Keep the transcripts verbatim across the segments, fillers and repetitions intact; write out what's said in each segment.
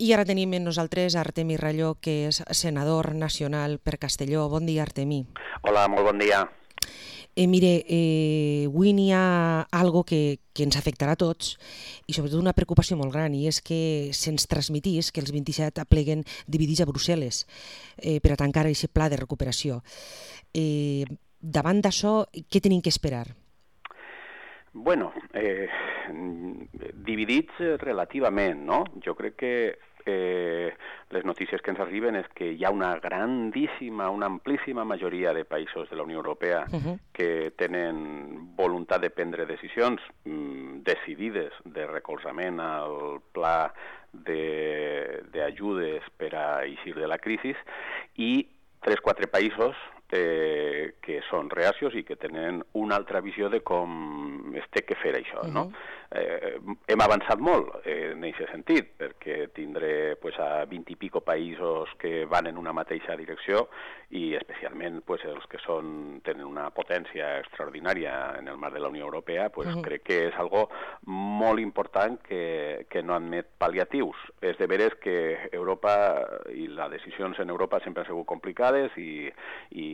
I ara tenim amb nosaltres Artemi Ralló, que és senador nacional per Castelló. Bon dia, Artemi. Hola, molt bon dia. Eh, mire, eh, avui n'hi ha algo que, que ens afectarà a tots i sobretot una preocupació molt gran, i és que se'ns transmetís que els vint-i-set apleguen dividits a Brussel·les eh, per a tancar aquest pla de recuperació. Eh, davant d'això, què tenim que esperar? Bueno, eh, dividits relativament, no? Jo crec que eh, les notícies que ens arriben és que hi ha una grandíssima, una amplíssima majoria de països de la Unió Europea uh-huh. que tenen voluntat de prendre decisions mm, decidides de recolzament al pla d'ajudes per a eixir de la crisi, i tres o quatre països eh, que són reacios i que tenen una altra visió de com es té que fer això, no? Uh-huh. Eh, hem avançat molt eh, en aquest sentit, perquè tindré pues, a vint i pico països que van en una mateixa direcció, i especialment pues, els que són, tenen una potència extraordinària en el marc de la Unió Europea, pues, uh-huh. crec que és algo molt important que, que no admet pal·liatius. És de veres que Europa i les decisions en Europa sempre han sigut complicades, i, i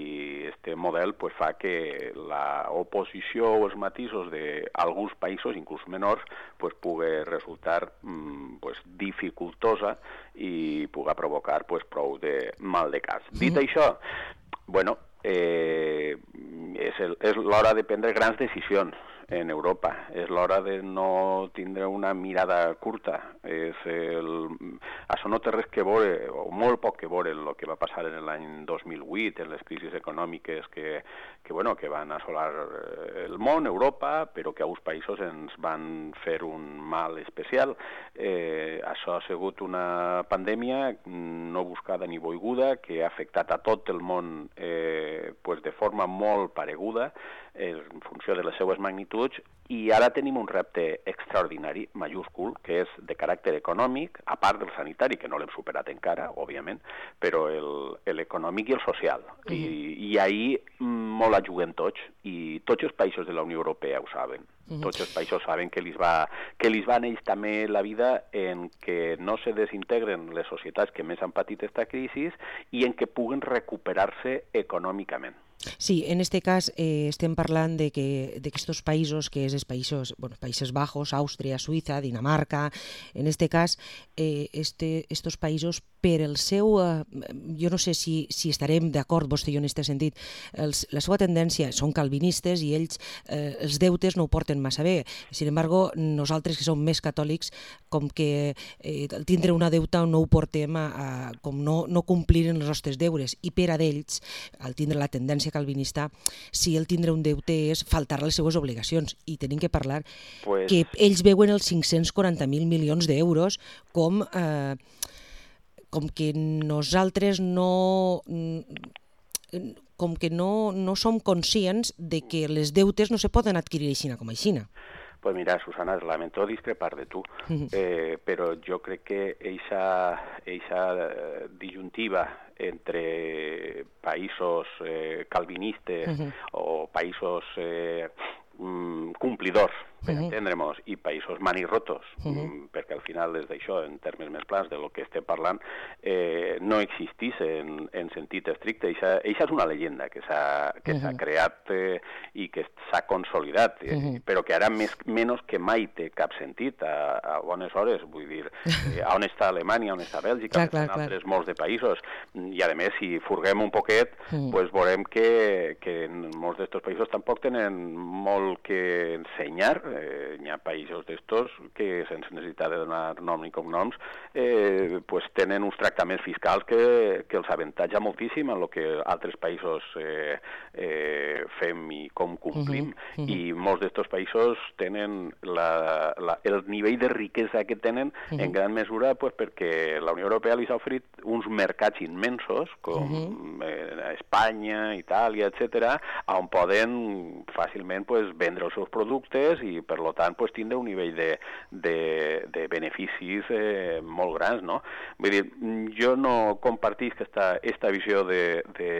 este model pues, fa que l'oposició o els matisos d'alguns països, inclús menors, pues, pugui resultar pues, dificultosa i pugui provocar pues, prou de mal de cas. Mm. Dit això, bueno, eh, és, el, és l'hora de prendre grans decisions en Europa. És l'hora de no tindre una mirada curta. És el... Això no té res que veure, o molt poc que veure, en el que va passar en l'any dos mil vuit, en les crisis econòmiques que, que, bueno, que van assolar el món, Europa, però que a uns països ens van fer un mal especial. Eh, això ha sigut una pandèmia no buscada ni volguda, que ha afectat a tot el món eh, pues de forma molt pareguda, en funció de les seues magnituds, i ara tenim un repte extraordinari, majúscul, que és de caràcter econòmic, a part del sanitari, que no l'hem superat encara, òbviament, però l'econòmic i el social. Uh-huh. I, i ahir molt la juguem tots, i tots els països de la Unió Europea ho saben. Uh-huh. Tots els països saben que els va, que els va neix també la vida en que no se desintegren les societats que més han patit aquesta crisi i en que puguen recuperar-se econòmicament. Sí, en este cas eh, estem parlant de que d'aquests països, que és els països, bueno, Països Bajos, Àustria, Suïssa, Dinamarca, en este cas, eh, este, estos països, per el seu, eh, jo no sé si, si estarem d'acord vostè i jo en aquest sentit, els, la seva tendència són calvinistes i ells eh, els deutes no ho porten massa bé. Sin embargo, nosaltres que som més catòlics, com que eh, tindre una deuta no ho portem a, a com no, no complir els nostres deures, i per a d'ells, al tindre la tendència calvinista, si el tindre un deute és faltar les seues obligacions, i tenim que parlar pues... que ells veuen els cinc-cents quaranta mil milions d'euros com, eh, com que nosaltres no com que no, no som conscients de que les deutes no se poden adquirir aixina com aixina. Pues mira, Susana, lamento discrepar de tu, eh, però jo crec que eixa, eixa disyuntiva entre països eh, calvinistes uh-huh. o països eh, complidors, per uh-huh. entendre'ns, i països manirrotos, uh-huh. perquè al final des d'això, en termes més plans de lo que estem parlant, eh, no existís en, en sentit estricte. Eixa, eixa és una llegenda que s'ha que uh-huh. s'ha creat eh, i que s'ha consolidat, eh, uh-huh. però que ara més, menys que mai té cap sentit a, a bones hores, vull dir, eh, on està Alemanya, on està Bèlgica, clar, clar, on estan clar. altres molts de països, i a més, si furguem un poquet, uh-huh. pues veurem que, que en molts d'estos països tampoc tenen molt que ensenyar. Eh, hi ha països d'estos que, sense necessitat de donar nom ni cognoms, eh, pues tenen uns tractaments fiscals que, que els avantatja moltíssim en el que altres països eh, eh, fem i com complim. Uh-huh, uh-huh. I molts d'estos països tenen la, la, el nivell de riquesa que tenen uh-huh. en gran mesura pues, perquè la Unió Europea li ha oferit uns mercats immensos, com uh-huh. eh, Espanya, Itàlia, etcètera, on poden fàcilment pues, vendre els seus productes i i, per tant, pues, tindre un nivell de, de, de beneficis eh, molt grans, no? Vull dir, jo no compartisc esta, esta visió de, de,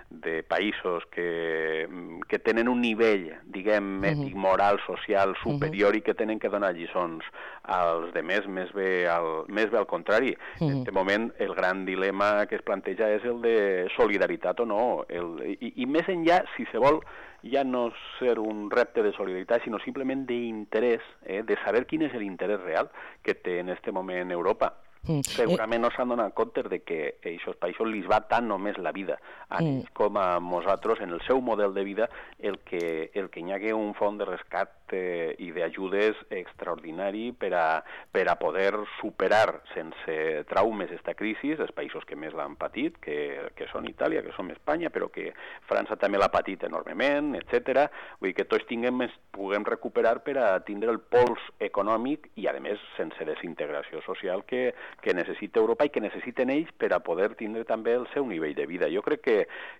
de països que, que tenen un nivell, diguem, ètic, moral, social, superior i que tenen que donar lliçons als demés, més bé al, més bé al contrari. En aquest moment, el gran dilema que es planteja és el de solidaritat o no, el, i, i més enllà, si se vol, ja no ser un repte de solidaritat, sinó simplement d'interès, eh, de saber quin és l'interès real que té en aquest moment Europa. Mm. Segurament no s'han donat compte de que a aquests països li va tant només la vida a ells mm. com a nosaltres, en el seu model de vida, el que, el que hi hagi un fons de rescat eh, i d'ajudes extraordinari per a, per a poder superar sense traumes esta crisi, els països que més l'han patit, que, que són Itàlia, que som Espanya, però que França també l'ha patit enormement, etcètera. Vull dir que tots tinguem, puguem recuperar per a tindre el pols econòmic i, a més, sense desintegració social que que necessita Europa i que necessiten ells per a poder tindre també el seu nivell de vida. Jo crec que,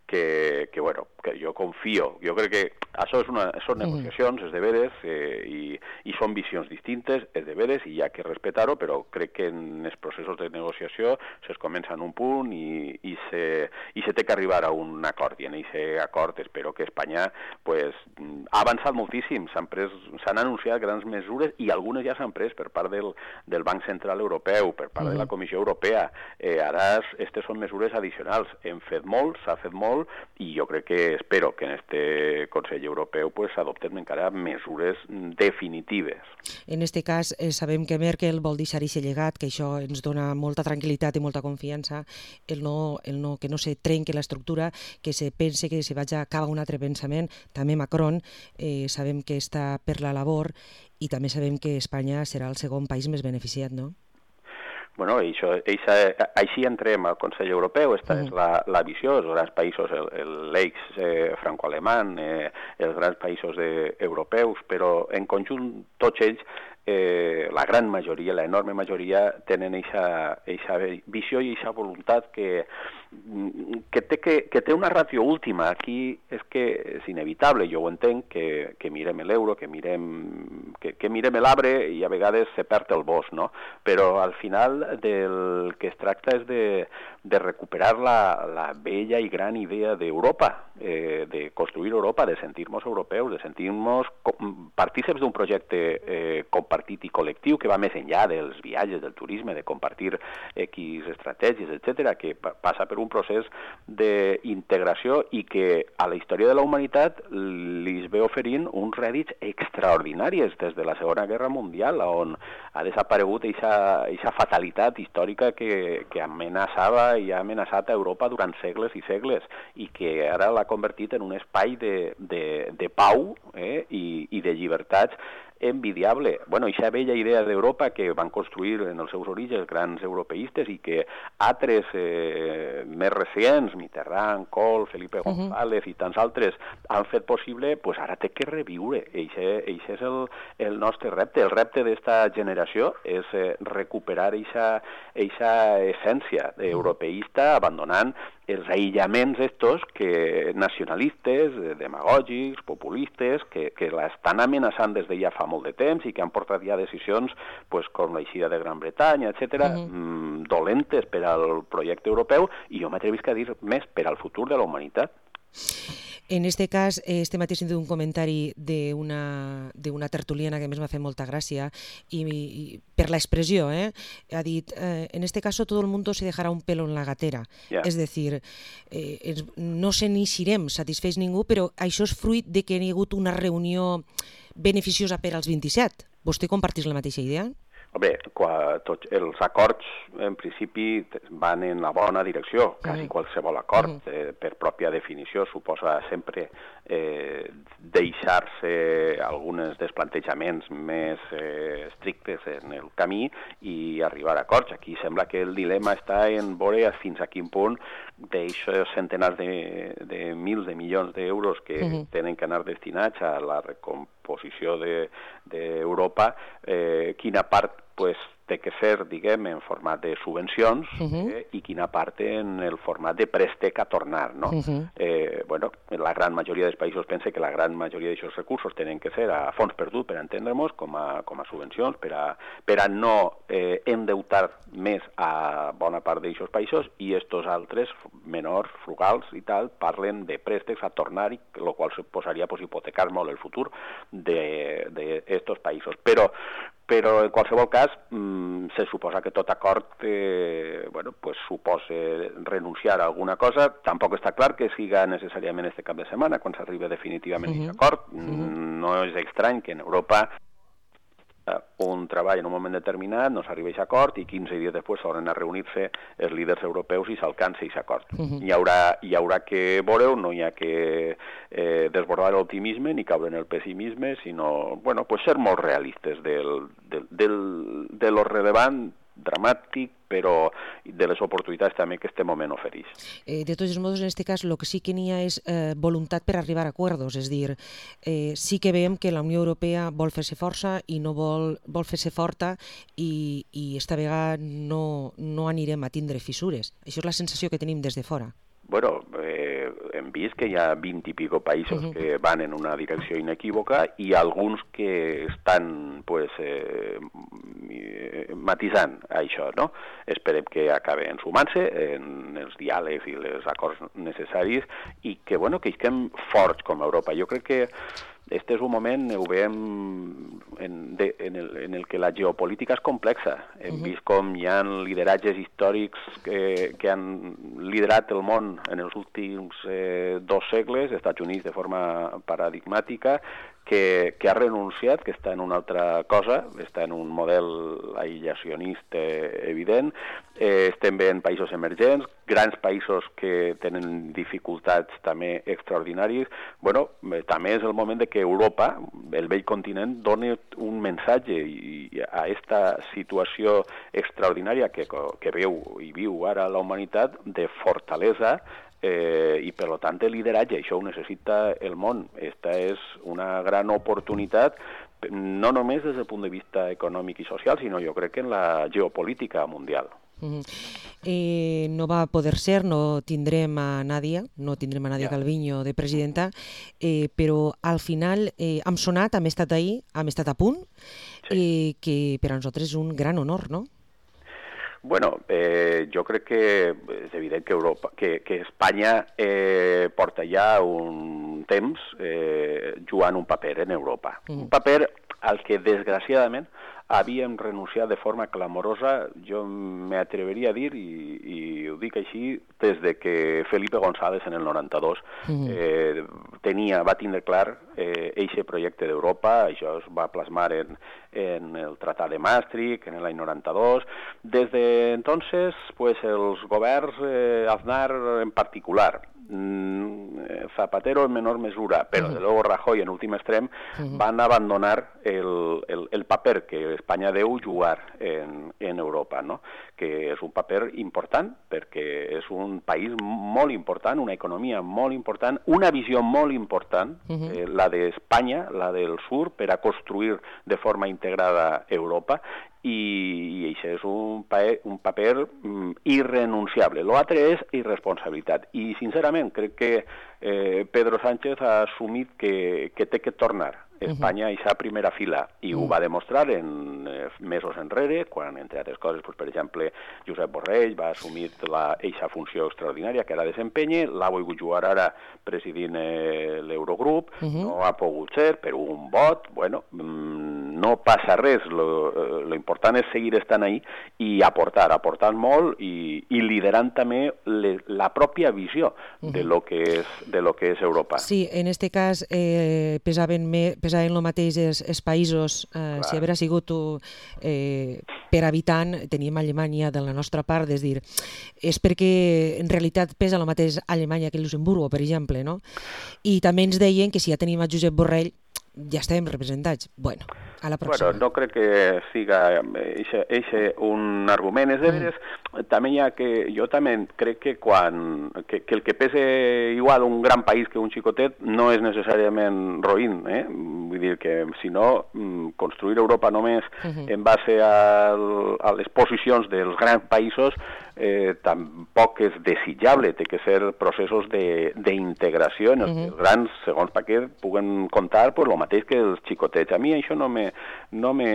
que, que bueno, que jo confio, jo crec que això és una, són negociacions, és de veres, eh, i, i són visions distintes, és de veres, i hi ha que respectar-ho, però crec que en els processos de negociació es comença en un punt i, i, se, i se té que arribar a un acord, i en aquest acord espero que Espanya pues, ha avançat moltíssim, s'han anunciat grans mesures i algunes ja s'han pres per part del, del Banc Central Europeu, per part de la Comissió Europea. Eh, ara aquestes són mesures addicionals. Hem fet molt, s'ha fet molt, i jo crec que espero que en este Consell Europeu pues, s'adopten encara mesures definitives. En este cas, eh, sabem que Merkel vol deixar aquest llegat, que això ens dona molta tranquil·litat i molta confiança, el no, el no, que no se trenque l'estructura, que se pense que se vagi a cap a un altre pensament. També Macron, eh, sabem que està per la labor, i també sabem que Espanya serà el segon país més beneficiat, no? Bueno, això, això, així entrem al Consell Europeu, aquesta uh-huh. és la, la visió, els grans països, l'eix eh, franco-alemany, eh, els grans països de, europeus, però en conjunt tots ells, eh, la gran majoria, l'enorme majoria, tenen aquesta visió i aquesta voluntat que, que, té, que, que té una ràtio última. Aquí és que és inevitable, jo ho entenc, que, que mirem l'euro, que mirem, que, que mirem l'arbre i a vegades se perd el bosc, no? Però al final del que es tracta és de, de recuperar la, la bella i gran idea d'Europa, eh, de construir Europa, de sentir-nos europeus, de sentir-nos partíceps d'un projecte eh, compartit i col·lectiu que va més enllà dels viatges, del turisme, de compartir X estratègies, etcètera, que passa per un procés d'integració i que a la història de la humanitat li ve oferint uns rèdits extraordinaris des de la Segona Guerra Mundial, on ha desaparegut aquesta fatalitat històrica que, que amenaçava i ha amenaçat a Europa durant segles i segles i que ara l'ha convertit en un espai de, de, de pau eh, i, i de llibertats envidiable. Bueno, aquesta vella idea d'Europa que van construir en els seus orígens grans europeistes i que altres eh, més recents, Mitterrand, Kohl, Felipe González uh-huh. i tants altres han fet possible, pues ara té que reviure. Eixe és el, el nostre repte. El repte d'esta generació és eh, recuperar eixa essència europeista abandonant els aïllaments estos que nacionalistes, demagògics, populistes, que, que l'estan amenaçant des de ja fa molt de temps i que han portat ja decisions pues, com l'eixida de Gran Bretanya, etcètera, uh-huh. mmm, dolentes per al projecte europeu i jo m'atrevisc a dir més per al futur de la humanitat. En este cas, este mateix un comentari d'una d'una tertuliana que a més m'ha fet molta gràcia i, i per l'expressió, eh? ha dit, eh, en este caso todo el mundo se dejará un pelo en la gatera. Yeah. És a dir, eh, no se n'eixirem satisfets ningú, però això és fruit de que hi ha hagut una reunió beneficiosa per als vint-i-set. Vostè compartís la mateixa idea? Bé, tots els acords en principi van en la bona direcció, quasi qualsevol acord eh, per pròpia definició suposa sempre eh, deixar-se alguns desplantejaments més eh, estrictes en el camí i arribar a acords. Aquí sembla que el dilema està en veure fins a quin punt d'aixòs centenars de, de mils de milions d'euros que uh-huh. tenen que anar destinats a la recomposició d'Europa, de, eh, quina part pues, té que ser, diguem, en format de subvencions uh -huh. eh, i quina part en el format de préstec a tornar, no? Uh -huh. eh, bueno, la gran majoria dels països pensa que la gran majoria d'aquests recursos tenen que ser a fons perdut, per entendre'ns, com a, com a subvencions, per a, per a no eh, endeutar més a bona part d'aquests països, i estos altres, menors, frugals i tal, parlen de préstecs a tornar, i el qual se posaria pues, hipotecar molt el futur d'estos països. Però però en qualsevol cas mmm, se suposa que tot acord eh, bueno, pues, suposa renunciar a alguna cosa. Tampoc està clar que siga necessàriament este cap de setmana quan s'arriba definitivament uh -huh. aquest acord. Uh -huh. No és estrany que en Europa un treball en un moment determinat, no s'arriba a aquest acord i quinze dies després s'hauran a reunir-se els líders europeus i s'alcança aquest acord. Uh -huh. Hi haurà, hi haurà que veure-ho, no hi ha que eh, desbordar l'optimisme ni caure en el pessimisme, sinó, bueno, pues ser molt realistes del, del, del, de lo rellevant, dramàtic, però de les oportunitats també que este moment ofereix. Eh, de tots els modos, en aquest cas, el que sí que n'hi ha és eh, voluntat per arribar a acords, és a dir, eh, sí que veiem que la Unió Europea vol fer-se força i no vol, vol fer-se forta i, i esta vegada no, no anirem a tindre fissures. Això és la sensació que tenim des de fora. Bueno, eh, hem vist que hi ha vint i pico països uh-huh. que van en una direcció inequívoca i alguns que estan pues, eh, matisant això, no? Esperem que acaben sumant-se en els diàlegs i els acords necessaris i que, bueno, que estem forts com a Europa. Jo crec que este és un moment, ho veiem en, de, en, el, en el que la geopolítica és complexa. Hem uh-huh. vist com hi ha lideratges històrics que, que han liderat el món en els últims eh, dos segles, Estats Units de forma paradigmàtica, que, que ha renunciat, que està en una altra cosa, està en un model aïllacionista evident. Eh, estem veient països emergents, grans països que tenen dificultats també extraordinàries. Bueno, eh, també és el moment de que Europa, el vell continent, doni un missatge i, i a aquesta situació extraordinària que, que veu i viu ara la humanitat de fortalesa Eh, i per tant de lideratge. Això ho necessita el món. Esta és una gran oportunitat, no només des del punt de vista econòmic i social, sinó jo crec que en la geopolítica mundial. Uh-huh. eh, no va poder ser, no tindrem a Nadia, no tindrem a Nadia yeah. Calviño de presidenta, eh, però al final eh, hem sonat, hem estat ahí, hem estat a punt, sí. eh, que per a nosaltres és un gran honor, no? Bueno, eh, jo crec que és evident que, Europa, que, que Espanya eh, porta ja un temps eh, jugant un paper en Europa. Mm. Un paper al que, desgraciadament, havíem renunciat de forma clamorosa, jo m'atreveria a dir, i, i ho dic així, des de que Felipe González en el noranta-dos mm. eh, tenia, va tindre clar eh, eixe projecte d'Europa. Això es va plasmar en, en el Tractat de Maastricht, en l'any noranta-dos. Des de entonces, pues, els governs, eh, Aznar en particular, Zapatero en menor mesura, però uh -huh. de luego Rajoy en últim extrem uh -huh. van abandonar el, el, el paper que Espanya deu jugar en, en Europa, no? Que és un paper important perquè és un país molt important, una economia molt important, una visió molt important, uh -huh. eh, la d'Espanya, la del sur, per a construir de forma integrada Europa, i, i això és un, paper, un paper mm, irrenunciable. L'altre és irresponsabilitat. I, sincerament, crec que eh, Pedro Sánchez ha assumit que, que té que tornar Espanya a aquesta primera fila, i ho va demostrar en eh, mesos enrere, quan, entre altres coses, pues, per exemple, Josep Borrell va assumir aquesta funció extraordinària que ara desempenya, l'ha volgut jugar ara presidint eh, l'Eurogrup, uh -huh. no ha pogut ser, per un vot, bueno, mmm, no passa res, lo, lo important és seguir estant ahí i aportar, aportant molt i, i liderant també le, la pròpia visió uh -huh. de lo que és, de lo que és Europa. Sí, en este cas eh, pesaven més pesaven el mateix els, els països, eh, si haguera sigut eh, per habitant, teníem Alemanya de la nostra part, és dir, és perquè en realitat pesa el mateix Alemanya que Luxemburgo, per exemple, no? I també ens deien que si ja tenim a Josep Borrell ja estàvem representats. Bueno, A la pròxima. Bueno, no crec que siga eixe un argument. És de veres, mm. també hi ha que... Jo també crec que quan... Que, que el que pese igual un gran país que un xicotet no és necessàriament roïn, eh? Vull dir que, si no, construir Europa només mm-hmm. en base al, a les posicions dels grans països eh, tampoc és desitjable. Té que ser processos d'integració en els mm-hmm. que els grans, segons Paquet, puguen contar pues, el mateix que els xicotets. A mi això no me, no me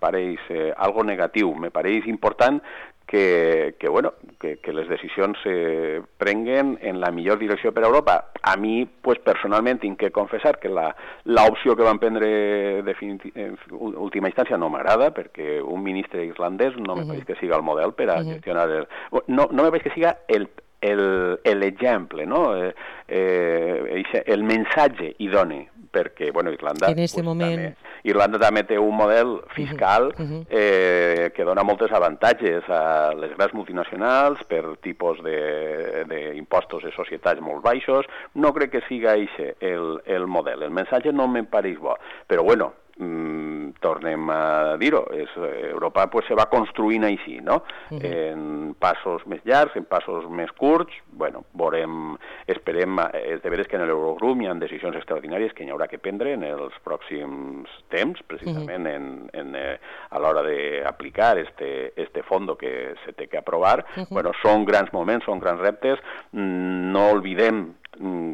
pareix eh, algo negatiu. Me pareix important que, que, bueno, que, que les decisions se prenguen en la millor direcció per a Europa. A mi, pues, personalment, tinc que confessar que l'opció que van prendre en última instància no m'agrada, perquè un ministre islandès no me pareix que siga el model per a gestionar... El, no, no me pareix que siga el l'exemple, no? Eh, eh, el mensatge idoni, perquè, bueno, Irlanda... En este pues, moment... També, Irlanda també té un model fiscal uh-huh. eh, que dona molts avantatges a les grans multinacionals per tipus d'impostos de, de societats molt baixos. No crec que siga eixe el, el model. El mensatge no me pareix bo. Però, bueno, mm, tornem a dir-ho, Europa pues, se va construint així, no? Uh-huh. En passos més llargs, en passos més curts. Bueno, veurem, esperem, és de veres que en l'Eurogrup hi ha decisions extraordinàries que hi haurà que prendre en els pròxims temps, precisament uh-huh. en, en, eh, a l'hora d'aplicar este, este fondo que se té que aprovar. Uh-huh. Bueno, són grans moments, són grans reptes. No oblidem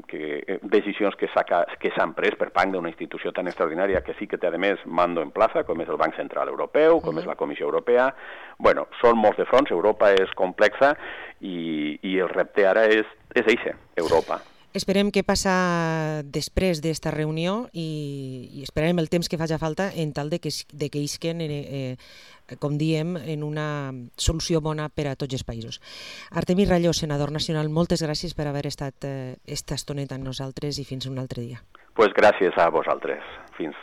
que decisions que s'han pres per part d'una institució tan extraordinària que sí que té, a més, mando en plaça, com és el Banc Central Europeu, com uh-huh. és la Comissió Europea. Bueno, són molts de fronts, Europa és complexa i, i el repte ara és, és eixe, Europa. Esperem què passa després d'esta reunió i, i esperarem el temps que faci falta en tal de que, de que isquen, eh, eh, com diem, en una solució bona per a tots els països. Artemi Ralló, senador nacional, moltes gràcies per haver estat eh, esta estoneta amb nosaltres i fins un altre dia. Pues gràcies a vosaltres. Fins